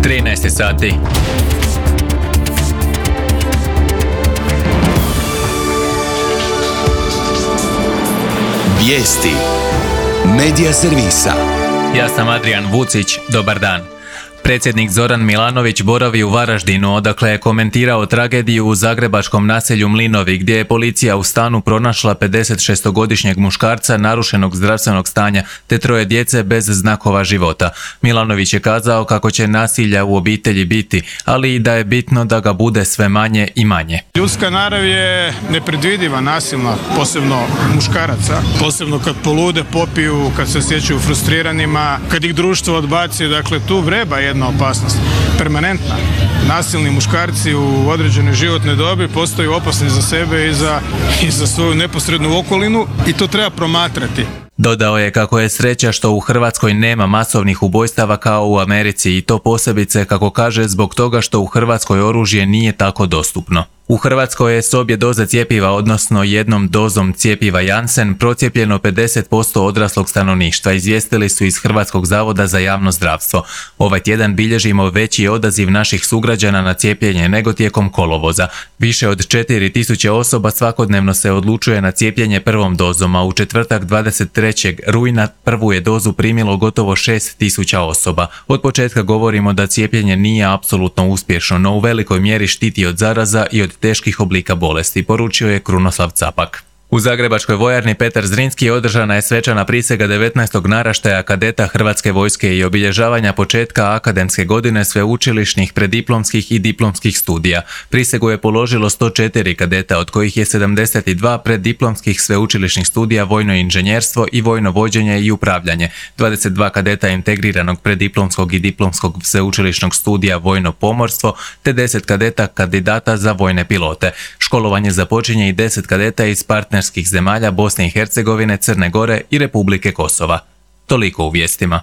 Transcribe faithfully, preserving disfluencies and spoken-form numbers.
trinaest sati. Vijesti Medija servisa. Ja sam Adrian Vucić, dobar dan. Predsjednik Zoran Milanović boravi u Varaždinu, odakle je komentirao tragediju u zagrebačkom naselju Mlinovi, gdje je policija u stanu pronašla pedesetšestogodišnjeg muškarca narušenog zdravstvenog stanja te troje djece bez znakova života. Milanović je kazao kako će nasilja u obitelji biti, ali i da je bitno da ga bude sve manje i manje. Ljudska narav je nepredvidiva, nasilna, posebno muškaraca, posebno kad polude, popiju, kad se osjećaju frustriranima, kad ih društvo odbaci, dakle tu vreba je jedna opasnost, permanentna. Nasilni muškarci u određenoj životnoj dobi postaju opasni za sebe i za, i za svoju neposrednu okolinu i to treba promatrati. Dodao je kako je sreća što u Hrvatskoj nema masovnih ubojstava kao u Americi i to posebice, kako kaže, zbog toga što u Hrvatskoj oružje nije tako dostupno. U Hrvatskoj je s obje doze cjepiva, odnosno jednom dozom cjepiva Janssen, procijepljeno pedeset posto odraslog stanovništva, izvijestili su iz Hrvatskog zavoda za javno zdravstvo. Ovaj tjedan bilježimo veći odaziv naših sugrađana na cijepljenje nego tijekom kolovoza. Više od četiri tisuće osoba svakodnevno se odlučuje na cijepljenje prvom dozom, a u četvrtak dvadeset trećeg rujna prvu je dozu primilo gotovo šest tisuća osoba. Od početka govorimo da cijepljenje nije apsolutno uspješno, no u velikoj mjeri štiti od zaraza i od teških oblika bolesti, poručio je Krunoslav Capak. U zagrebačkoj vojarni Petar Zrinski održana je svečana prisega devetnaestog naraštaja kadeta Hrvatske vojske i obilježavanja početka akademske godine sveučilišnih, prediplomskih i diplomskih studija. Prisegu je položilo sto četiri kadeta, od kojih je sedamdeset dva preddiplomskih sveučilišnih studija vojno inženjerstvo i vojno vođenje i upravljanje, dvadeset dva kadeta integriranog preddiplomskog i diplomskog sveučilišnog studija vojno pomorstvo, te deset kadeta kandidata za vojne pilote. Školovanje započinje i deset kadeta iz partnerskih zemalja Bosne i Hercegovine, Crne Gore i Republike Kosova. Toliko u vijestima.